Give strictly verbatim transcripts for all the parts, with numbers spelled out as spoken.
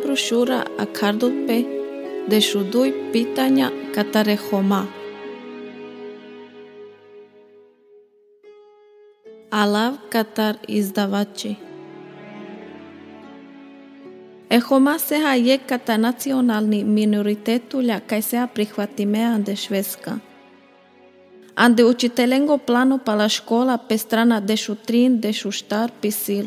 brošura a kardope dešuduj pitanja katare homa. Alav Katar izdavači. E homa seha je kata nacionalni minoritetulja kaj seha prihvatime ande Švedska. Ande učitelengo plano pala škola pe strana dešu trin dešu štar pisil.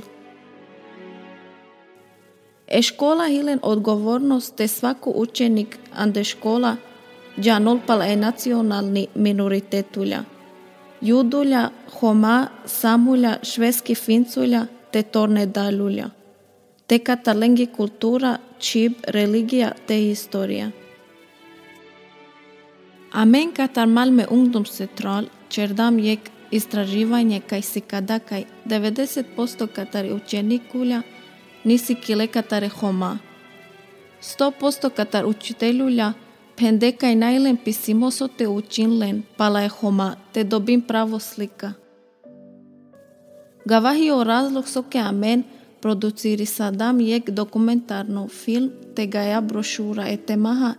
E škola hilen odgovornost te svako učenik ande škola džanol pala e nacionalni minoritetulja. Judulja, homa, samulja, švedski finculja te tornedalulja. Te katalengi kultura, čib, religija te historija. Amen katar Malmö ungdomscentral čerdam jek istraživanje kaj si kada kaj devedeset posto katari učenikulja nisi kile katare homa. sto posto katar učiteljulja pende kaj najlen pisimoso te učinlen pala je homa te dobim pravo slika. Gavahi o razlog soke amen produciri sadam jek dokumentarno film te gaja brošura e temaha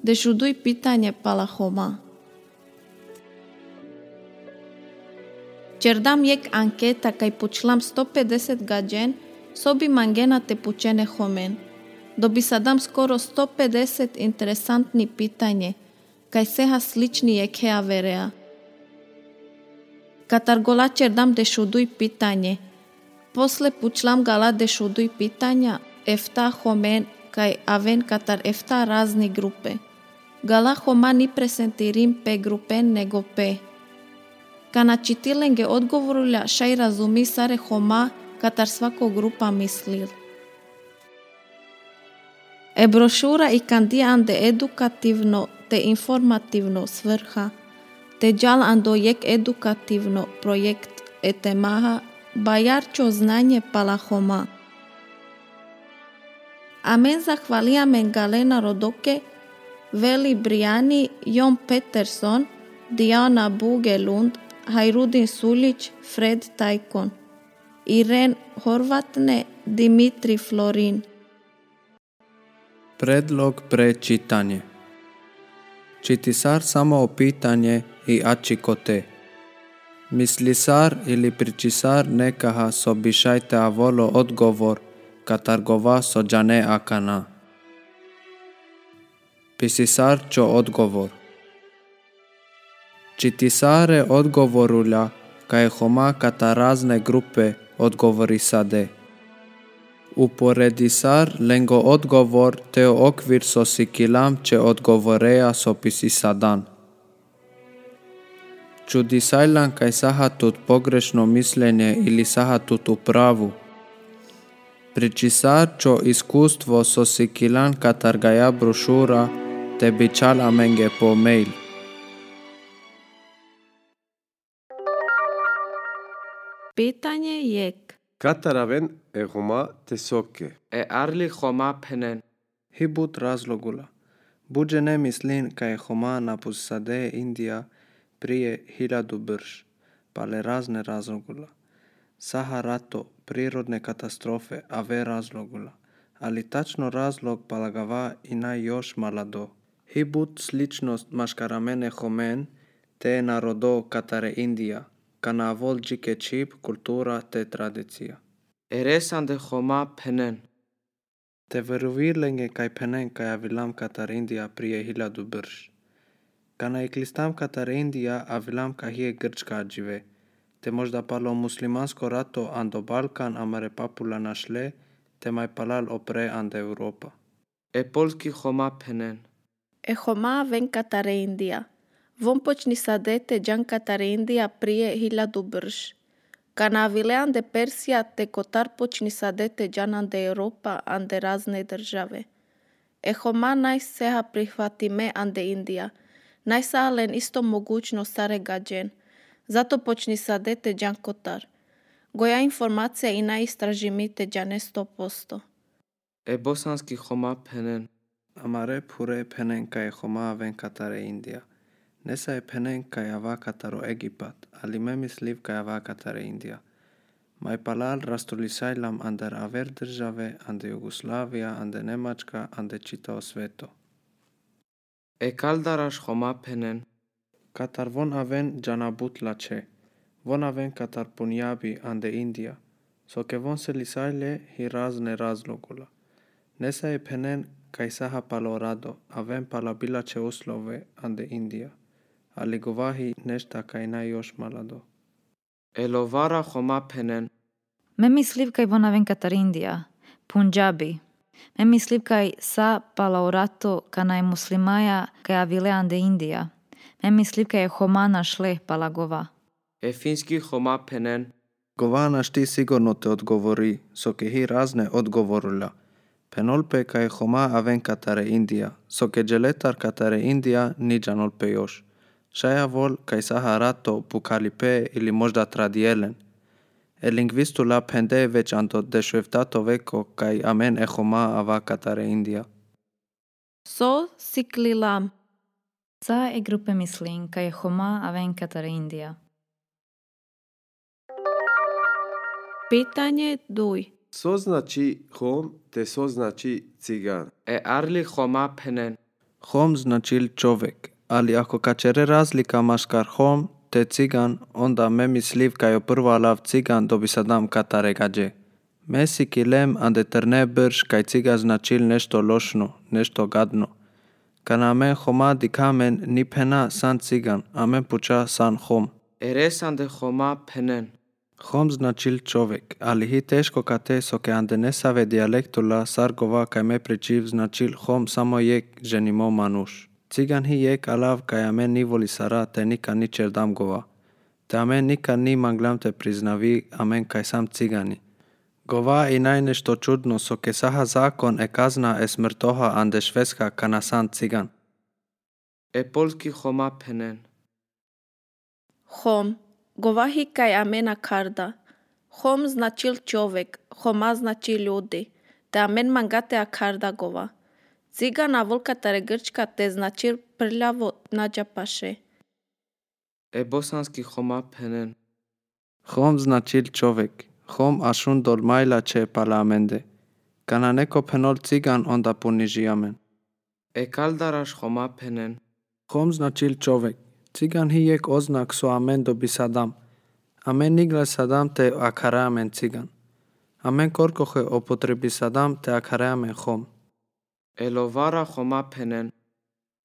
dešuduj pitanje pala homa. Čerdam jek anketa kaj počlam sto pedeset gađen sobi mangena te pučene homen. Dobi sadam skoro sto pedeset interesantni pitanje kaj seha slični jek hea verea. Katar gola čerdam dešuduj pitanje. Posle pučlam gala dešuduj pitanja efta homen kaj aven katar efta razni grupe. Gala homa ni presentirim pe grupen nego pe. Kana čitilenge odgovorulja šaj razumi sare homa katar svako grupa mislil. E brošura i kandija ande edukativno te informativno svrha, te džal ando jek edukativno projekt e temaha bajarčo znanje pala homa. Amen zahvalijamen Galena Rodoke, Veli Brijani, Jon Peterson, Diana Bugelund, Hajrudin Sulić, Fred Tajkon, Iren Horvatne, Dimitri Florin. Predlog pre čitanje. Čitisar samo opitanje i ačikote. Mislisar ili pričisar nekaha sobišajte avolo odgovor katargova sođane akana. Pisisar čo odgovor. Čitisare odgovorulja kaj homa kata razne grupe odgovori sade. Uporedisar lengo odgovor teo okvir so sikilam če odgovoreja so pisisadan. Čudisajlan kaj saha tut pogrešno mišljenje ili saha tut upravu. Pričisar čo iskustvo so sikilan katar gaja brošura te bičal amenge po mail. Pitanje jek. Kataraven e homa te soke. E arli homa penen. Hibut razlogula. Buđe ne mislin kaj homa napusade Indija prije hiljadu brž, pale razne razlogula. Saha rato, prirodne katastrofe, a ve razlogula. Ali tačno razlog palagava i naj još malado. Hibut sličnost maškaramene homen te narodo katare Indija, kana avol džike čip, kultura te tradicija. Eresan de homa penen. Te veruvirlenge kaj penen kaj avilam katar Indija prije hiljadu brž. Kana iklistam katar Indija avilam kahije grčka džive. Te možda palo muslimansko rato ando Balkan amare papula našle, te maj palal opre ande Europa. E polski homa penen. E homa ven katare Indija. Vom počni sadete džan katare Indija prije hiljadu brž. Kana avile ande Persija te kotar počni sadete džan ande Europa ande razne države. E homa naj seha prihvatime ande Indija. Naj sahalen isto mogućno sare gađen. Zato počni sadete džan kotar. Goja informacija i naj istražimite džane sto posto. E bosanski homa penen. Amare pure penen kaj homa ven katare Indija. Nesa je penen kaj ava kataro Egipat, ali me misliv kaj ava katare Indija. Mai palal rastulisailam ander aver države, ande Jugoslavia, ande Nemačka, ande čitao sveto. Ekal darash khoma phenen. Katar von aven janabut lache. Von aven Katar punjabi ande India. So ke von se lisaile hi razne razlogula. Nesa e penen kaisaha palorado, aven palabila che uslove ande India. Ali govahi nešta kaina još malado. Elovara khoma phenen. Me mislim kaj von aven Katar India, Punjabi. Me mislim kaj sa palaurato kanaj muslimaja kaj avile ande India. Me mislim kaj homa našle palagova. E finski khoma phenen. Govana šti sigurno te odgovori, so ke hi razne odgovorula. Penolpe kaj homa aven Katare India, so ke dželetar Katare India ni janolpe još. Šaja vol kaj saha rato pukalipe ili možda tradielen. El lingvistula pende već ando dešveftato veko kaj amen e homa ava Katare India. So siklilam. Sa e grupe mislim kaj homa aven Katar India. Pitanje duj. Co znači hom te co znači cigan? E arli khoma phenen. Hom značil čovek, ali ako kačere razlika maškar hom te cigan, onda me misliv kaj o prvo alav cigan dobi sadam Katare gađe. Me si kilem ande trne brž kaj ciga značil nešto lošno, nešto gadno. Kana amen homa dikamen ni pena san cigan, amen puča san hom. Eres ande khoma phenen. Hom značil čovek, ali hi teško kate so ke ande ne save dialektula sargova kaj me pričiv značil hom samo jek ženimo manuš. Cigan hi jek alav kaj amen ni voli sara te nikad ni čerdam gova. Te amen nikad ni manglam te priznavi amen kaj sam cigani. Gova i naj nešto čudno so ke saha zakon e kazna e smrtoha ande švedska kana san cigan. E polski khoma phenen. Hom. Govahi kaj amena karda. Hom značil čovek, homa znači ljudi. Te amen mangate a karda gova. Cigan avol Katare Grčka te značil prljavo nađa paše. E bosanski khoma phenen. Hom značil čovek, hom ašun dolmajla če palamende. Kana neko penol cigan onda puniži amen. Ekal darash khoma phenen. Hom značil čovek, cigan hi jek oznak so amen dobi sadam. Amen nigle sadam te akare amen cigan. Amen korkohe opotrebi sadam te akare amen hom. Elovara khoma phenen.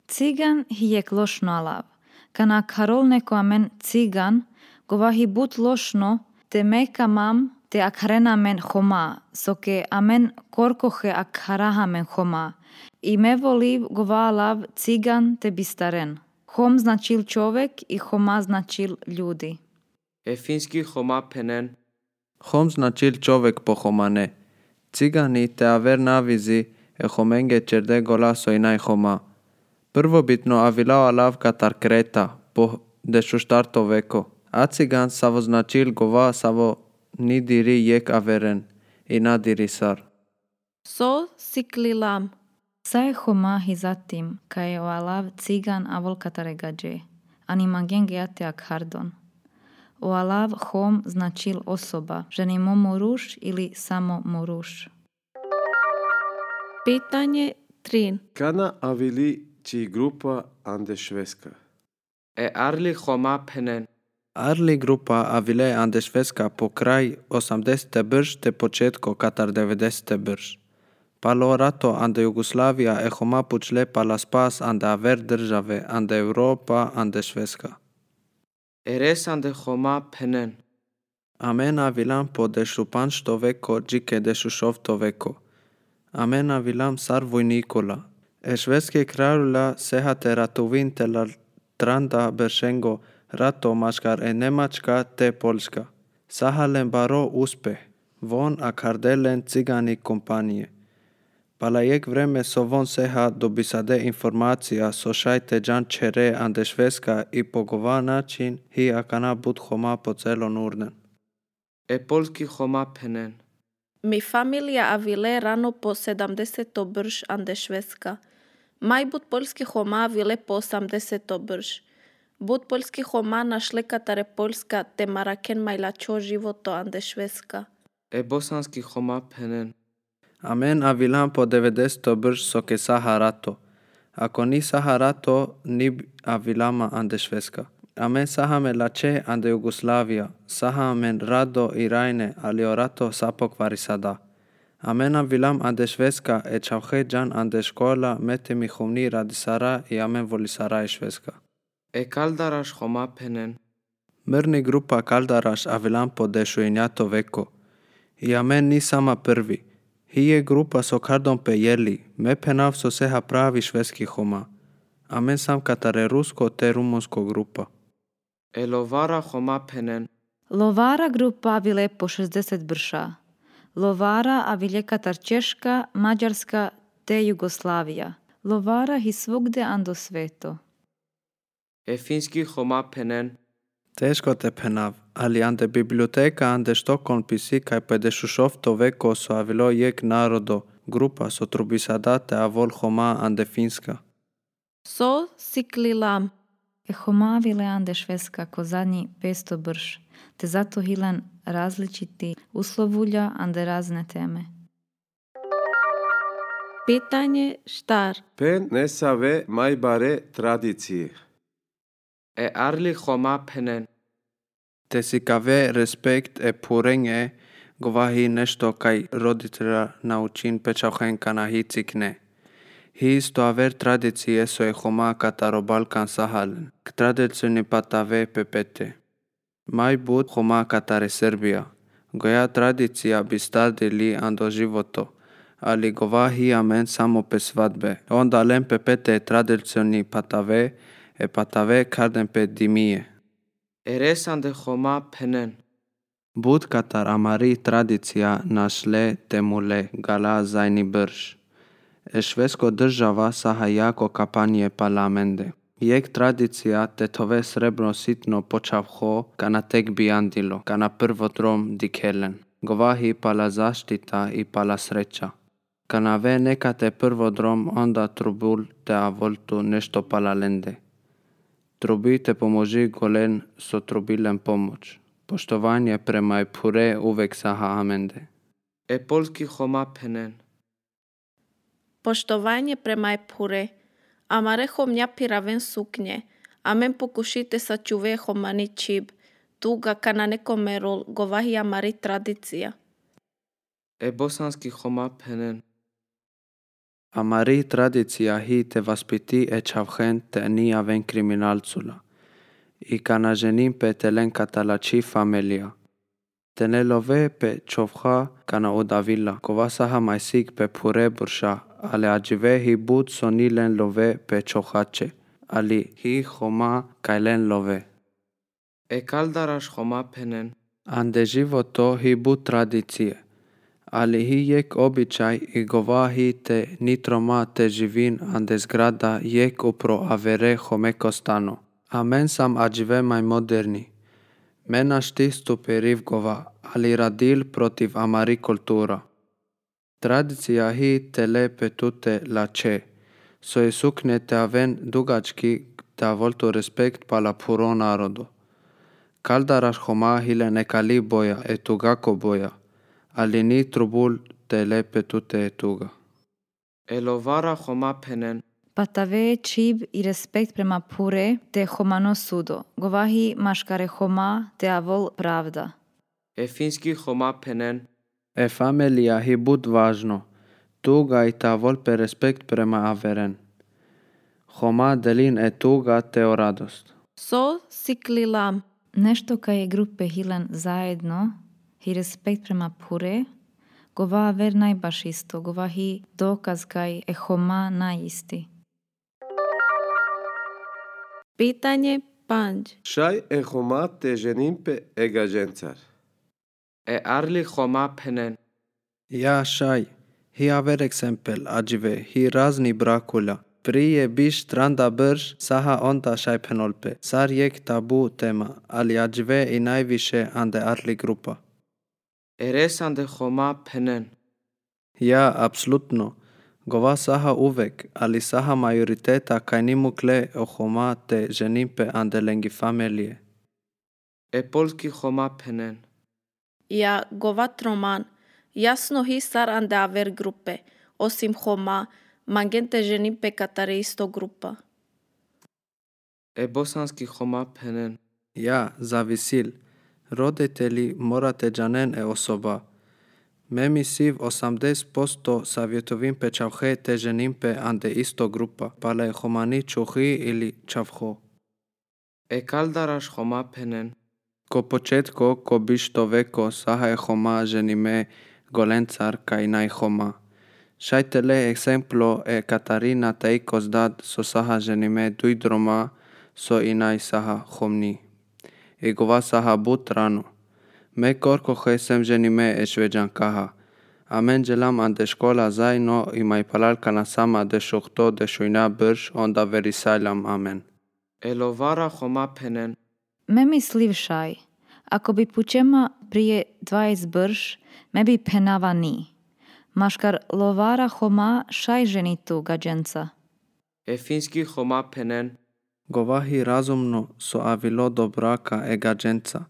Cigan hi jek lošno alav. Kana karol neko amen cigan, govahi but lošno, te meka mam te akaren amen homa, so ke amen korkohe akara amen homa. I me voliv gova alav cigan te bistaren. Hom značil čovek i homa značil ljudi. E finski khoma phenen. Hom značil čovek po homane. Cigani te aver navizi e homenge čerde gola so inaj homa. Prvobitno avilao alav Katar Kreta po dešuštarto veko. A cigan savo značil gova savo ni diri jek averen i na diri sar. So siklilam. Sa je homa hi zatim kaj o alav cigan avol Katare gađe. Ani magen geate ak hardon. O alav hom značil osoba, ženimo moruš ili samo moruš. Pitanje trin. Kana avili či grupa ande švedska? E arli khoma phenen. Arli grupa avile ande švedska po kraj osamdesete brž te početko Katar devedesete brž. Palo rato ande Jugoslavia e homa pučle pala spas ande aver države ande Europa ande švedska. Eres ande khoma phenen. Amen avilam po dešupanšto veko džike dešušovto veko. Amen avilam sar vojnikola. E švedske kraljula sehate ratovin te la tranda beršengo rato maškar e Nemačka te Polska. Sahalen baro uspeh, von a kardelen cigani kompanije. Pala jek vreme so von seha dobisade informacija so šajte džan čere ande švedska i po gova način hi akana bud homa po celo Norden. E polski khoma phenen. Mi familija avile rano po sedamdeseto brž ande švedska. Maj bud polski homa avile po osamdeseto brž. Буд польски хома нашли катаре польска те маракен майлачо живото анде шведска. E bosanski choma penen. Amen avilan po devedeset brž so ke Saharato. Ako ni Saharato, ni avilama ande Švedska. Amen sahame lače ande Jugoslavia. Sahamen rado i rajne, ali orato sapok varisada. Amen avilam ande Švedska e čauhe jan ande škola mete mi humni radisara i amen volisara e Švedska. E kaldarash choma penen. Mrni grupa Kaldaraš avilan po dešujenjato veko. I amen ni sama prvi. Hije grupa so kardom pe jeli, me penav so seha pravi švedski homa. Amen sam katare rusko te rumunsko grupa. E lovara choma penen. Lovara grupa avile po šezdeset brša. Lovara avile katar Češka, Mađarska te Jugoslavija. Lovara hi svugde ando sveto. E finski choma penen. Teško te penav, ali ande biblioteka ande Štokholm pisi kaj pedešušov to veko so avilo jek narodo, grupa so trubisadate avol homa ande finska. So siklilam. E homa avile ande švedska ko zadnji petsto brš, te zato hilan različiti uslovulja ande razne teme. Pitanje štar. Pen nesave majbare tradicije. E arli choma penen. Te si kave respekt e purenge govahi nešto kaj roditelja naučin pečauhen kana hi cikne. Hi isto aver tradicije so e homa kataro Balkan Sahalen, k tradicioni patave pepete. Maj bud homa katare Serbia. Goja tradicija bi stadili ando životo, ali govahi amen samo pe svadbe. Onda len pepete tradicioni patave e patave karden pe dimije. E resande choma penen. Bud katar amari tradicija našle temule gala zajni brž. E švedsko država saha jako kapanje parlamende. Jek tradicija te tove srebro sitno počavho kana tek biandilo, kana prvotrom dikelen. Govahi pala zaštita i pala sreća. Kana ve nekate prvodrom onda trubul te avoltu nešto pala lende. Trubi te pomoži golen so trubilen pomoć. Poštovanje prema i pure uvek saha amende. E polski choma penen. Poštovanje prema epure. Amare homnja piraven suknje. Amen pokušite sačuve homani čib. Tuga kana neko merol govahi amari tradicija. E bosanski choma penen. Amari tradicija hi te vaspiti e čavhen te ni aven kriminalcula. I kana ženim pe telen katalači familia. Tene love pe čovha kana odavila. Kova saha majsik pe pure burša, ale ajive hi bud soni len love pe čovhače. Ali hi homa kaj len love. E kaldarash choma penen. Ande životo hi bud tradicije. Ali hi jek običaj i govahi te nitroma te živin ande zgrada jek upro avere homeko stano. Amen sam ajive maj moderni. Mena štistu periv gova, ali radil protiv amari kultura. Tradicija hi te lepe tute lače. So je sukne te aven dugački te avoltu respekt pala puro narodu. Kaldaraš homa hile nekali boja e tugako boja. Ali ni trubul te lepe tute e tuga. E lovara choma penen. Patave čib i respekt prema pure te homano sudo. Govahi maškare homa te avol pravda. E finski choma penen. E familija hi bud važno. Tuga i ta volpe respekt prema averen. Homa delin e tuga te o radost. So siklilam. Nešto kaj je grupe hilan zajedno, hi respekt prema pure, gova ver najbaš isto, gova hi dokaz kaj e homa najisti. Pitanje panj. Šaj e homa te ženim pe egažencar. E arli choma penen. Ja šaj, hi aver eksempel ajive, hi razni brakula. Prije biš tranda brž, saha onda šaj penolpe. Sar jek tabu tema, ali ajive i najviše ande arli grupa. E resande choma penen. Ja, apsolutno. Gova saha uvek, ali saha majoriteta kaj ni mukle o choma te ženimpe ande lengi familie. E polski choma penen. Ja govat roman, jasno hi sar ande aver grupe, osim choma, mangente ženimpe katare isto grupa. E bosanski choma penen. Ja, zavisil. Roditelji morate džanen e osoba. Memi siv osamdeset posto savjetovim pe čavhe te ženimpe ande isto grupa, pale chomani čuhi ili čavho. E kaldarash choma penen. Ko početko, ko bišto veko saha e choma ženime golencar kaj naj choma. Šajtele exemplo e Katarina teikos dad so saha ženime dujdroma so i naj saha chomni. E gova saha but rano. Me korko jesem ženime e šveđankaha. Amen jelam ande škola zaino i mai palalka na sama de šuhto de šujna brž onda verisajlam amen. E lovara choma penen. Me misliv šaj, ako bi pučema prije dvadeset brž, me bi penava ni. Maškar lovara choma šaj ženitu gađenca. E finski choma penen. Govahi razumno so avilo do braka e gađenca,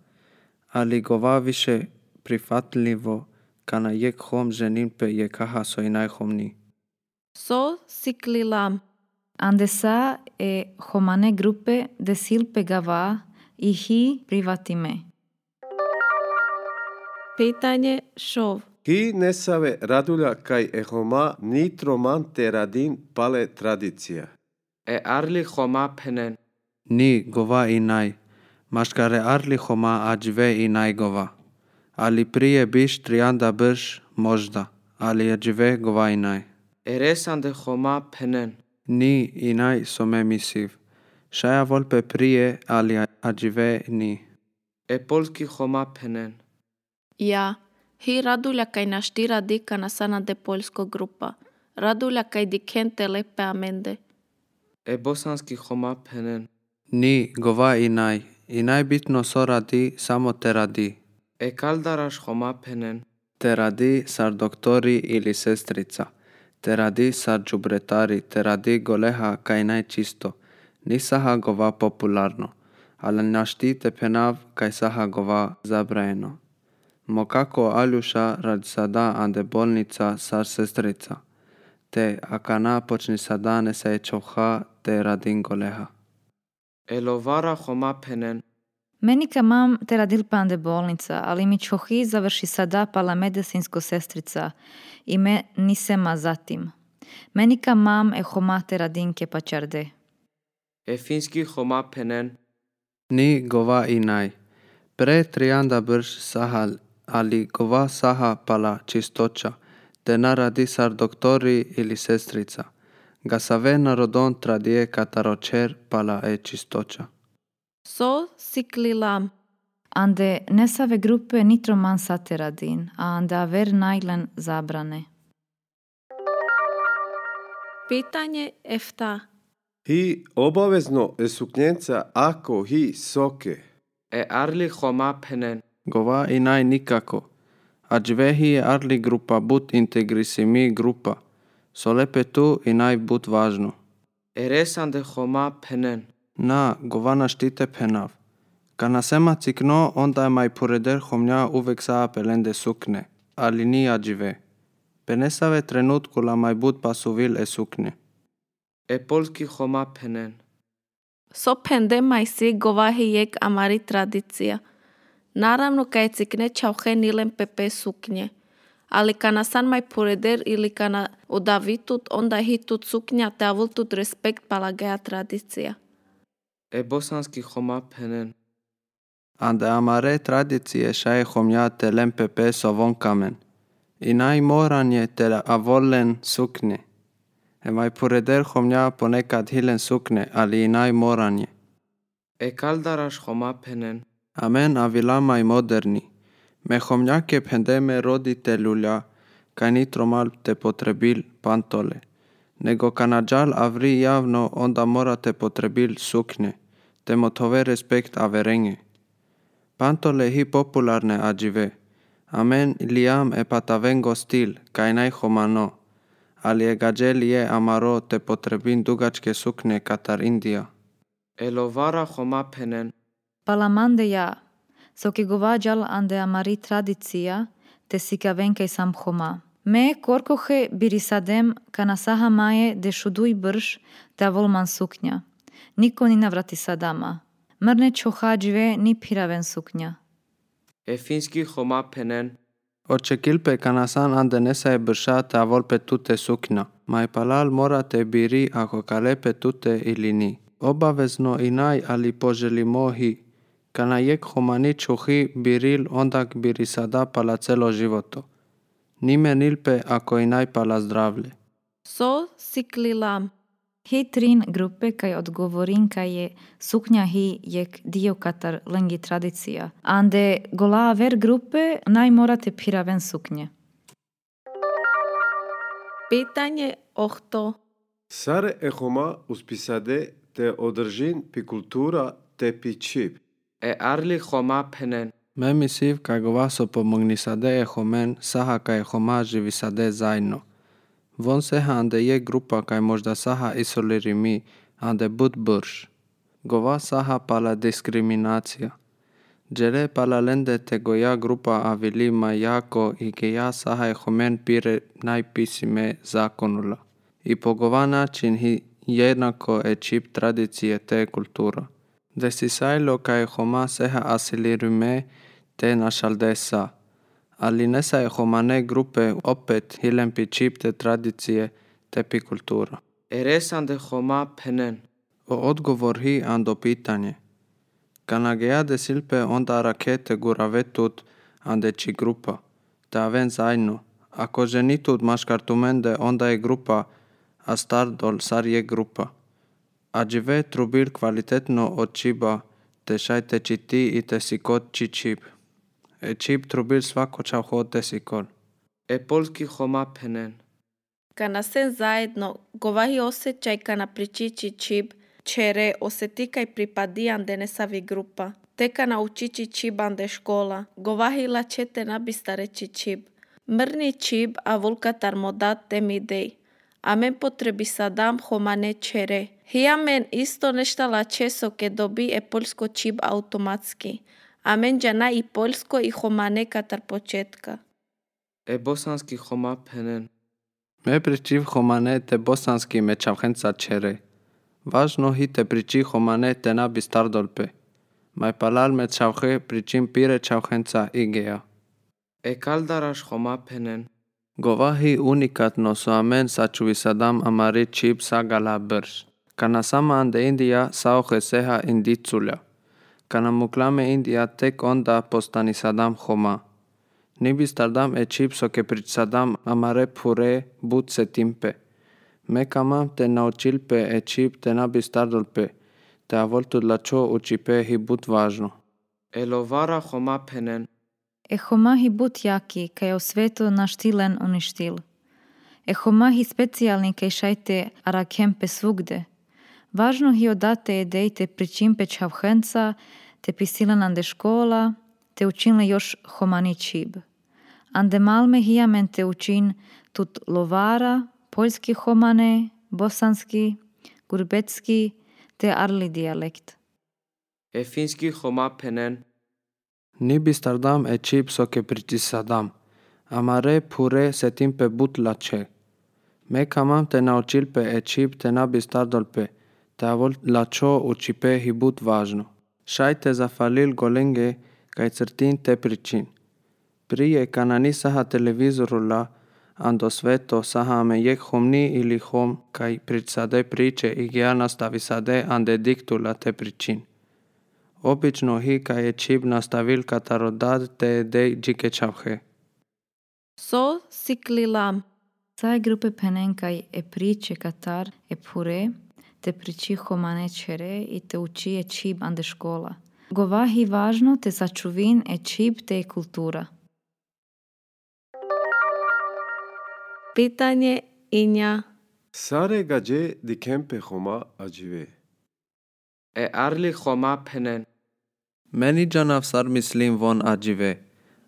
ali gova više prifatljivo kana jek hom ženimpe je kaha so i najhomni. So siklilam, Andesa e homane grupe de silpe gava i hi privatime. pitanje šov. Hi nesave radulja kaj ehoma nitroman te radin pale tradicija. E arli choma penen. Ni gova i naj, maškare arli homa ađve i naj gova. Ali prije biš trianda brž možda, ali ađve gova i naj. E resande choma penen. Ni i naj so me misiv. Šaja volpe prije, ali ađve ni. E polski choma penen. Ja, hi radulja kaj našti radi kana sana de poljsko grupa. Radulja kaj dikente lepe amende. E bosanski choma penen. Ni gova i naj, i najbitno so radi samo te radi. E kaldarash choma penen. Te radi sar doktori ili sestrica. Te radi sar džubretari, te radi goleha kaj najčisto. Ni saha gova popularno, ali našti te penav kaj saha gova zabrajeno. Mokako aljuša rad sada ande bolnica sar sestrica. Te akana počni sada ne se čoha te radin goleha. E lovara choma penen. Meni kamam te radil pande bolnica, ali mi čohi završi sada pala medicinsko sestrica i me nisema zatim. Meni kamam e homa te radinke pačarde. E finski choma penen. Ni gova i naj. Pre trianda brž saha, ali gova saha pala čistoća, te naradi sar doktori ili sestrica. Ga save narodon tradije kataročer pala e čistoća. So siklilam, Ande nesave grupe nitroman sate radin, a ande aver najlen zabrane. pitanje efta. Hi obavezno e suknjenca ako hi soke. E arli choma penen. Gova i naj nikako. Ađvehi je arli grupa but integrisimi grupa. So lepe tu i naj but važno. E resande choma penen. Na, gova naštite penav. Kana sema cikno, onda je maj pureder homnja uvek saa pelende sukne, ali ni ađve. Penesave trenutku la maj but pasuvil e sukne. E polski choma penen. So pende majsi govahi jek amari tradicija. Naravno kaj cikne čauhe nilem pepe suknje. Ali kana san maj pureder ili kana udavitut, onda hitut suknja te avultut respekt palagea tradicija. E bosanski choma penen. Ande amare tradicije šaje homnja te lem pepe so von kamen. I naj moranje te avolen sukne. E maj pureder homnja ponekad hilen sukne, ali i naj moranje. E kaldarash choma penen. Amen avilama i moderni. Me homnjake pendeme roditelulja, kaj nitromal te potrebil pantole. Nego kanadžal avri javno, onda morate potrebil sukne. Te motove respekt averenge. Pantole hi popularne ađive. Amen liam e patavengo stil, kaj naj homano. ali je gađeli je amaro te potrebin dugačke suknje Katar Indija. Elovara Choma Penen, Palamande ja, soke govađal ande amari tradicija, te sikavenkaj sam Choma. Me korkohe birisadem kana saha maje de šuduj brž te volman suknja. Niko ni navrati sadama. Mrne čohađve ni piraven suknja. Efinski Choma Penen, Očekilpe kanasan ande nesa je brša te avolpe tute suknja. Mai palal morate biri ako kalepe tute ili ni. Obavezno i naj ali poželimo hi. Kana jek homani čuhi biril ondak birisada pala celo životo. Nime nilpe ako i naj pala zdravlje. So siklilam. Hi trin grupe kaj odgovorin kaj je suknja hi jek dio Katar lengi tradicija. Ande gola ver grupe naj morate piraven suknje. Pitanje ohto. Sare e Choma uspisade te održin pi kultura te pi čip. E Arli Choma Penen, Me misiv kaj govaso pomognisade e homen saha kaj homa živisade zajedno. Von seha ande je grupa kaj možda saha isolirimi ande bud brž. Gova saha pala diskriminacija. Džere pala lende te goja grupa avili ma jako i geja saha e homen pire najpisime zakonula. I po gova način hi jednako e čip tradicije te kultura. Desisajlo kaj homa seha asilirime te našaldesa. Ali nesa je homane grupe opet hilen pi čip te tradicije te pi kultura. Eresande Choma Penen, O odgovor hi ando pitanje. Kana geja desilpe onda rakete guravetut ande či grupa. Te aven zajedno. Ako ženitut maškartumende onda je grupa, a stardol sar je grupa. A džive trubil kvalitetno od čiba, te šajte či ti i te sikot či čip. E čip trubil svako čavho te sikol. E Polski Choma Penen, Kana sen zajedno govahi osjećaj kana pričići čib, čere osjeti kaj pripadi ande nesavi grupa. Te kana učići čib ande škola. Govahi la čete nabista reći čib. Mrni čib a vulkatar modat tem idej. Amen potrebi sadam homane čere. Hiamen isto nešta la česo ke dobi e polsko čib automatski. Amen džana i polsko i homane katar početka. E Bosanski Choma Penen, Me pričiv homane te bosanski me čavhenca čere. Važno hi te priči homane te nabi stardolpe. Mai palal me čavhe pričim pire čavhenca igeja. E Kaldaraš Choma Penen, Govahi unikatno su amen sačuvisadam amari čip sagala brž. Kana sama ande Indija sauhe seha indiculja. Kana muklame Indija tek onda postani sadam Choma. Nibi stardam e čip so ke prisadam amare pure bud se timpe. Me kamam te naučilpe e čip te nabi stardolpe. Te avoltu dlačo u čipe hi bud važno. Elovara Choma Penen, E Choma hi but jaki kaj o svetu naštilen uništil. E Choma hi specijalni kaj šajte arakempe svugde. Važno hi odate edej te pričimpe čavhenca, te pisilen ande škola, te učinle još homani čib. Ande malme hijamen te učin tut lovara, poljski homane, bosanski, gurbetski, te arli dijalekt. E Finski Choma Penen, Nibi stardam e čip so ke pričisadam. Amare pure se timpe bud lače. Me kamam te naučilpe e čip te nabi stardolpe. Te avol lačo u čipe hi bud važno. Šajte zafalil golenge kaj crtin te pričin. Prije kana ni saha televizorula ando sveto saha me jek homni ili hom kaj pričade priče i gija nastavisade ande diktula te pričin. Obično hi kaj je čip nastavil katarodad te edej džike čavhe. So siklilam. Saj grupe penen kaj e priče Katar e pure, te priči homane čere i te uči e čib ande škola. Govahi važno te sačuvin e čib te kultura. Pitanje inja. Sare gađe di kempe Choma ađive. E Arli Choma Penen, Meni džanav sar mislim von ađive.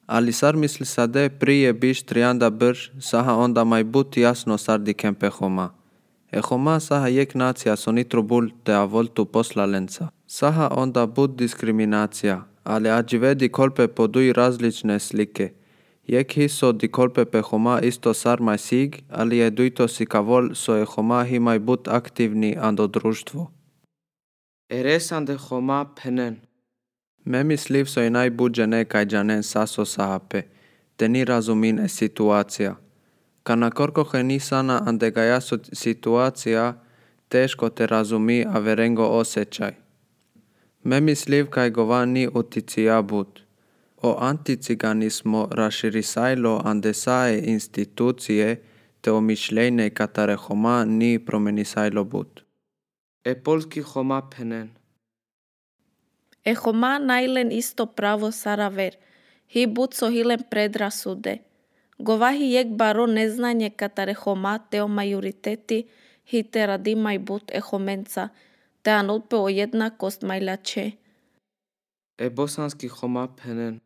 Ali sar misli sade prije biš trianda brž, saha onda mai but jasno sar dikem pe Homa. E Homa saha jek nacija so nitro bul te a voltu poslalenca. Saha onda but diskriminacija, ali ađive di kolpe podui različne slike. Jek hiso di kolpe pe Homa isto sar mai sig, ali je duito si kavol so e Homa hi mai but aktivni ando društvo. Eresande Homa penen. Me misliv so i najbuđe nekaj džanen saso sahape, te ni razumin e situacija. Kana korkohe ni sana ande ga jasu situacija, teško te razumi a verengo osjećaj. Me misliv kaj gova ni uticija bud. O anticiganismo raširisajlo ande sae institucije te o mišljenje katare Homa ni promenisajlo bud. E polski Homa penen. E Homa najlen isto pravo saraver, hi but so hilen predrasude. Govahi jek baro neznanje katare Homa te o majoriteti hi te radimaj but e Homenca, te anulpe o jednakost majlače. E bosanski Homa penen.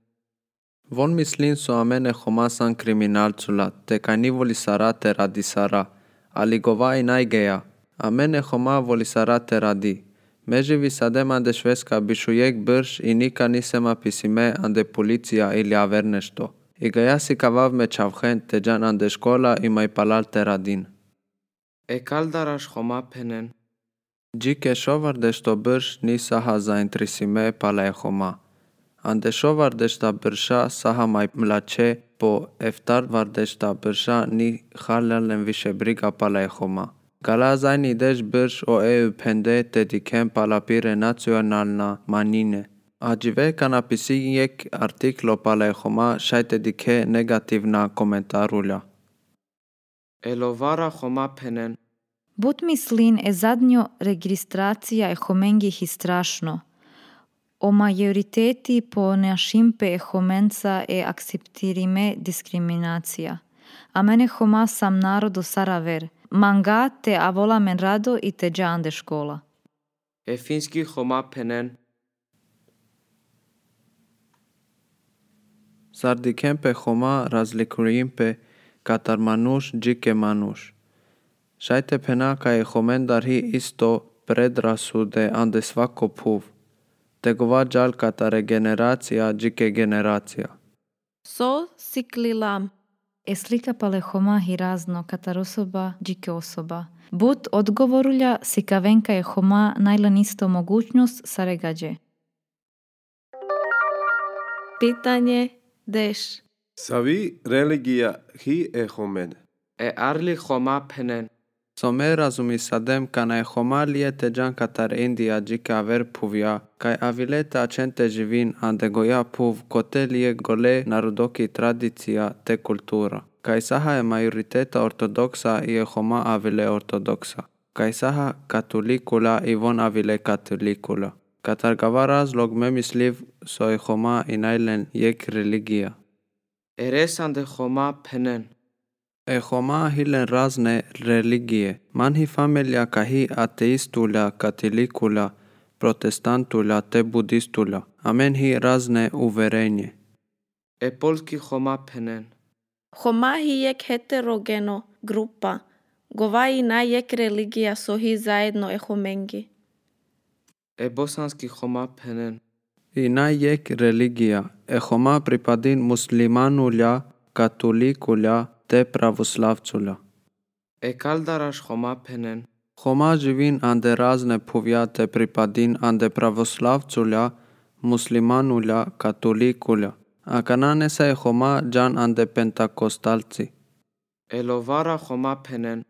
Von mislin so amene Homa san kriminalcula, te kaj ni voli sara te radi sara, ali gova i najgeja, amene Homa voli sara te radi. Meživi sadem ande šveska bišu jek brž i nika nisema pisime ande policija ili aver nešto. I ga jasi kavav me čavhen te džan ande škola i maj palal te radin. E kaldaraš Homa penen. Džike šovar dešto brž ni saha zaintrisime pala e Homa. Ande šovar dešta brša saha maj mlače po eftar var dešta brša ni halalen više briga pala e Homa. Gala zajni deš brž o eu pende te dikem pala pire nacionalna manine. Ađive kana pisi jek artiklo pala e Homa šajte dike negativna komentarulja. E lovara Homa penen. But mislin e zadnjo registracija e Homengih i strašno. O majoriteti po neašimpe e Homenca e akceptirime diskriminacija. A mene Homa sam narodu saraver. Manga te avola men rado i te dža ande škola. E finski Homa penen. Sar dikem pe Homa razlikujem pe katar manuš džike manuš. Šajte pena ka je Homendar hi isto predrasude ande svako puv. Te gova džal katare generacija džike generacija. So siklilam. E slika pale Homa hi razno katar osoba džike osoba. But odgovorulja si kavenka je Homa najlan isto mogućnost saregađe. Pitanje deš. Savi religija hi e Homen. E arli Homa penen. So me razumi sadem kana e Homa liete džan katar India džike aver puvja, kaj avilete acente živin ande goja puv kote lije gole narodoki tradicija te kultura. Kaj saha je majoriteta ortodoksa i e Homa avile ortodoksa. Kaj saha katolikula i von avile katolikula. Katar gava razlog me misliv so e Homa i najlen jek religija. Eresande Homa penen. E Homa hilen razne religije. Manhi familia kahi ateistula, katolikula, protestantula te budistula. Amen hi razne uverenje. E polski Homa penen. Homa hi jek heterogeno grupa. Gova i najjek religija so hi zajedno e Homengi. E bosanski Homa penen. I najjek religija. E Homa pripadin muslimanulja, katolikula te pravoslavcula. E kaldaraš Homa penen. Homa živin ande razne puvja te pripadin ande pravoslavcula, muslimanulja, katolikula. A kanane se e Homa džan ande pentakostalci. E lovara Homa penen.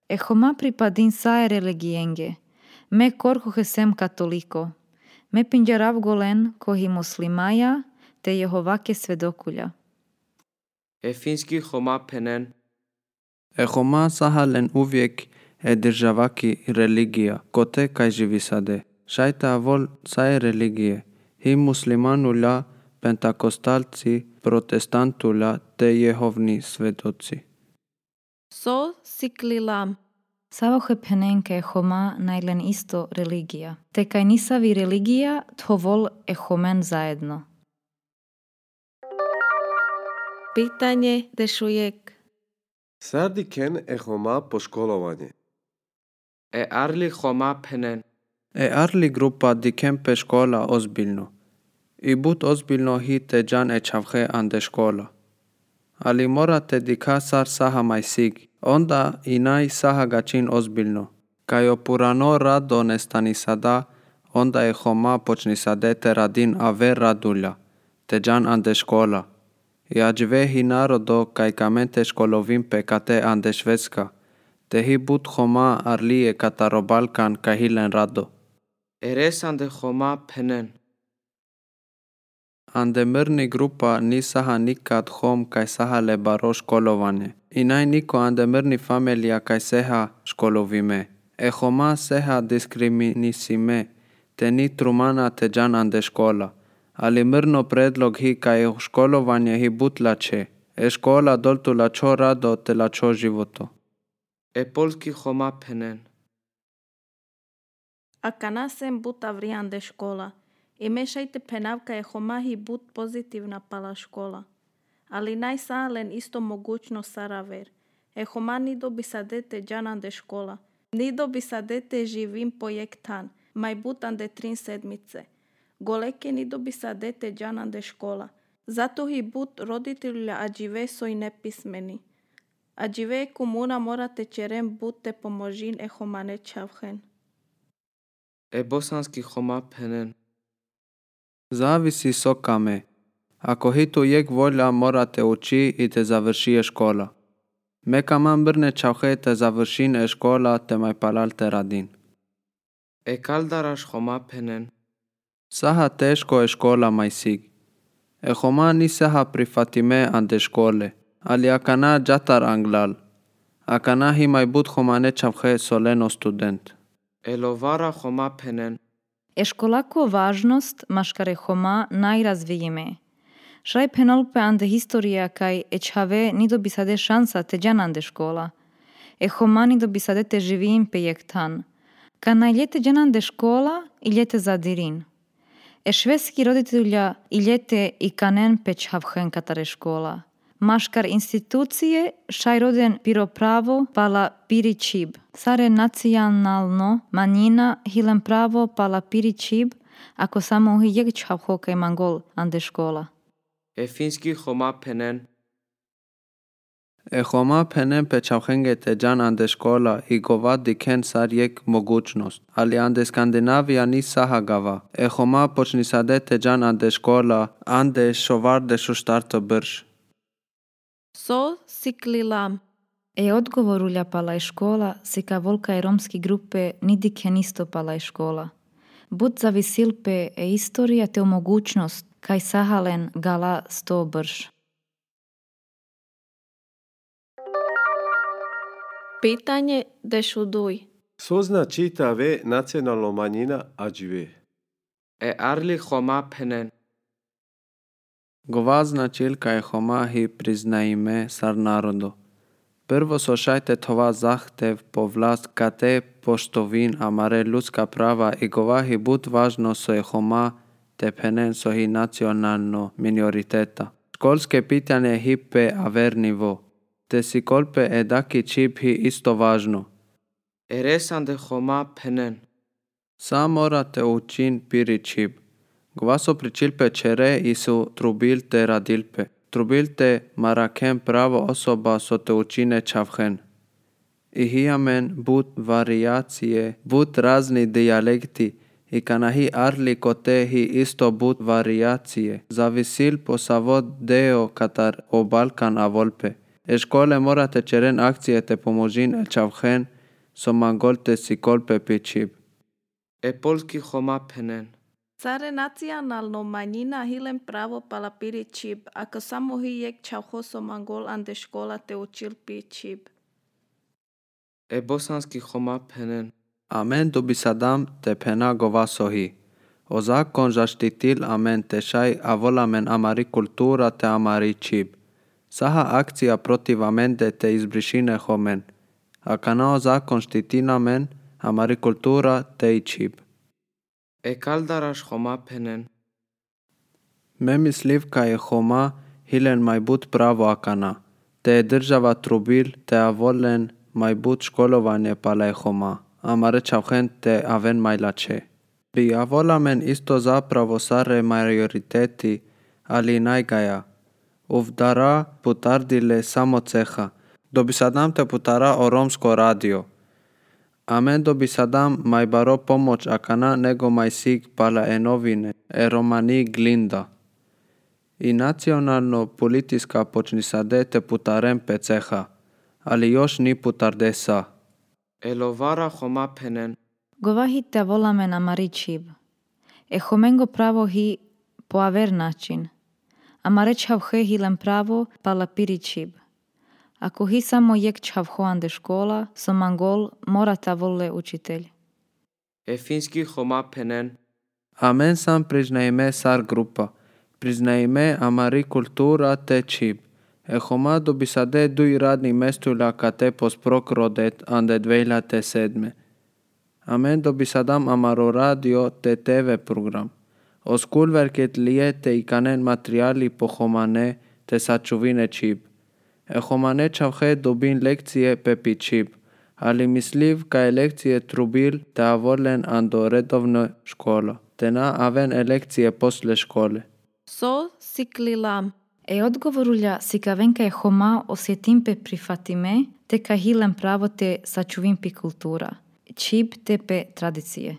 E Homa pripadin sae religijenge. Me korkohe sem katoliko. Me pinjarav golen kohi muslimaja te Jehovake svedokulja. E finski Homa penen. E Homa sahalen uvijek e državaki religija, kote kaj živi sade. Šajte avol sae religije. Hi muslimanulja, pentakostalci, protestantula te Jehovni svedoci. So siklilam. Savohe penenke e Homa najlen isto religija. Te kaj nisavi religija, thovol e Homen zajedno. Pitanje dešujek. Sardi ken e Homa po školovanje. E arli Homa penen. E arli grupa di kempe škola ozbiljno. I but ozbiljno hi te džan e čavhe ande škola. Ali morate di kasar saha majsig. Onda i naj saha gačin ozbiljno. Kajo purano rado nestani sada, onda e Homa počni sadete radin ave radulja. Te džan ande škola. I ađve hi narodo kaj kamente školovim pekate ande Švedska. Te hi but Homa arli e kataro Balkan kaj hilen rado. Eres ande Homa penen. Ande mrni grupa ni saha nikat hom kaj saha le baro školovanje. I naj niko ande mrni familia kaj seha školovime. E Homa seha diskriminisime, te ni trumana te džan ande škola. Ali mrno predlog hi kaj školovanje hi but lače. E škola doltu lačo rado te lačo životo. E polski Homa penen. Akana sem but avrijande škola. I mešajte penavka je Homa hi but pozitivna pala škola. Ali naj salen isto mogućno saraver. E Homa ni dobi sadete džanande škola. Ni dobi sadete živim projektan. Maj butande trin sedmice. Goleke ni dobi sadete džanande škola. Zato hi but roditelja ađive soj nepismeni. Ađive komuna morate čerem bute pomožin e Homa ne čavhen. E bosanski Homa penen. Zavisi sokame. Ako hitu jek volja morate uči i te završije škola. Meka man brne čavhe te završin e škola te maj palal te radin. E kaldaraš Homa penen. Saha teško je škola majsig. E Homa ni saha prifatime ande škole. Ali akana džatar anglal. Akana hi maj but Homa ne čavhe soleno student. E lovara Homa penen. E školako važnost maškare Homa najrazvijime. Šraj penolpe ande historija kaj e čave ni dobi sade šansa te džan ande škola. E Homa ni dobi sade te živim pejektan. Ka najljete džan ande škola i ljete zadirin. E švedski roditelja i ljete i kanen pe čavhen katare škola. Maškar institucije šaj roden piro pravo pala piri čib. Sare nacionalno manjina hilen pravo pala piri čib, ako samo hi jek čavho kaj mangol ande škola. E finski Homa penen. E Homa penen pe čavhenge te džan ande škola i gova di ken sar jek mogućnost. Ali ande Skandinavija ni saha gava. E Homa počni sade te džan ande škola, ande šovarde šu štarto brž. So siklilam. E odgovorulja pala je škola, si ka volka i romski grupe nidike nisto pala je škola. Bud zavisil pe e istorija te mogućnost kaj sahalen gala sto brž. Pitanje dešuduj. Sozna čita ve nacionalno manjina ađive. E arli Homa penen. Gova značilka je Homa hi priznajme sar narodo. Prvo so šajte tova zahtev po vlast kate poštovin amare ljudska prava i gova hi but važno so je Homa te penen so hi nacionalno minoriteta. Školske pitanje hi pe aver nivo. Te si kolpe e daki čip hi isto važno. Eres ande Homa penen. Sa morate učin piri čip. Gova so pričilpe čere i su trubilte radilpe. Trubilte marakem pravo osoba so te učine čavhen. I hijamen but variacije, but razni dijalekti i kana hi arli kote hi isto but variacije. Zavisil po savod deo katar o Balkan a volpe. E škole morate čeren akcije te pomožin el čavhen so mangolte si kolpe pičib. E polski Homa penen. Sare nacionalno manjina hilen pravo pala piri čib, ako samo hi jek čavho so mangol ande škola te učil pi čib. E bosanski Homa penen. Amen dobi sadam te pena gova sohi. O zakon zaštitil amen te šaj a volamen amari kultura te amari čib. Saha akcija protiv amende te izbrišine homen. A kanao zakon štitina men amari kultura te i čib. E kaldaraš Homa penen. Me misliv ka je Homa hilen mai but pravo akana. Te država trubil te avolen mai but školovanje pale homa, amare čauhen te aven mai lače. Bi avolamen isto zapravo sare majoriteti, ali najgaja. Uvdara putardile samo ceha. Dobi sadam te putara o romsko radio. Amen dobi sadam mai baro pomoć akana nego mai sig pala e novine, e romani glinda. I nacionalno politiska počni sade te putarem pe ceha, ali još ni putarde sa. Elovara homa penen. Govahi te volame na maričib. E homengo pravo hi po aver način. Amare čavhe hilen pravo pala piričib. Ako hi samo jek čavhoan de škola, so mangol mora ta volle učitelj. E finski homa penen. Amen sam priznajme sar grupa. Priznajme amari kultura te čib. E homa dobi sade dui radni mestula kate posprok rodet ande dvejlate sedme. Amen dobi sadam amaro radio te te ve program. O skulverket lije te ikanen materiali po homane te sačuvine čib. E homane čavhe dobin lekcije pepi čib, ali misliv ka lekcije trubil te avolen ando redovno škola, te na aven lekcije posle škole. So siklilam. E odgovorulja si ka venka je homa osjetim pe prifatime, te ka hilen pravo te sačuvim pi kultura. Čib te pe tradicije.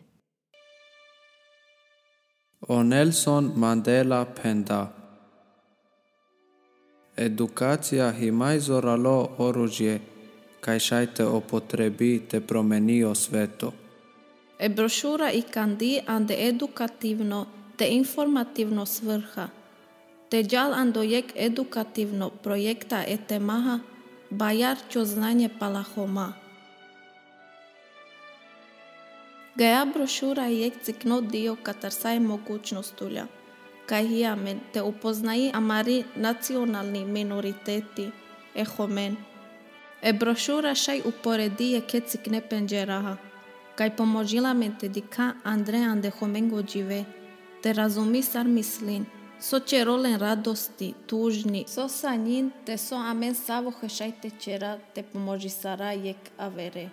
O Nelson Mandela penda. Edukacija hi mai zoralo oružje, kaj šajte opotrebi te promenio sveto. E brošura i kandi ande edukativno te informativno svrha. Te djal ando jek edukativno projekta e temaha, bajar čo znanje pala homa. Gaja brošura jek cikno dio katarsaj mogućnostulja, kaj hiamen te upoznaji amari nacionalni minoriteti, e homen. E brošura šaj uporedi je ke cikne penđeraha, kaj pomožila men te dika Andre ande homengo džive, te razumi sar mislin, so će rolen radosti, tužni, so sa njin, te so amen savo hešaj te čera, te pomoži sara jek avere.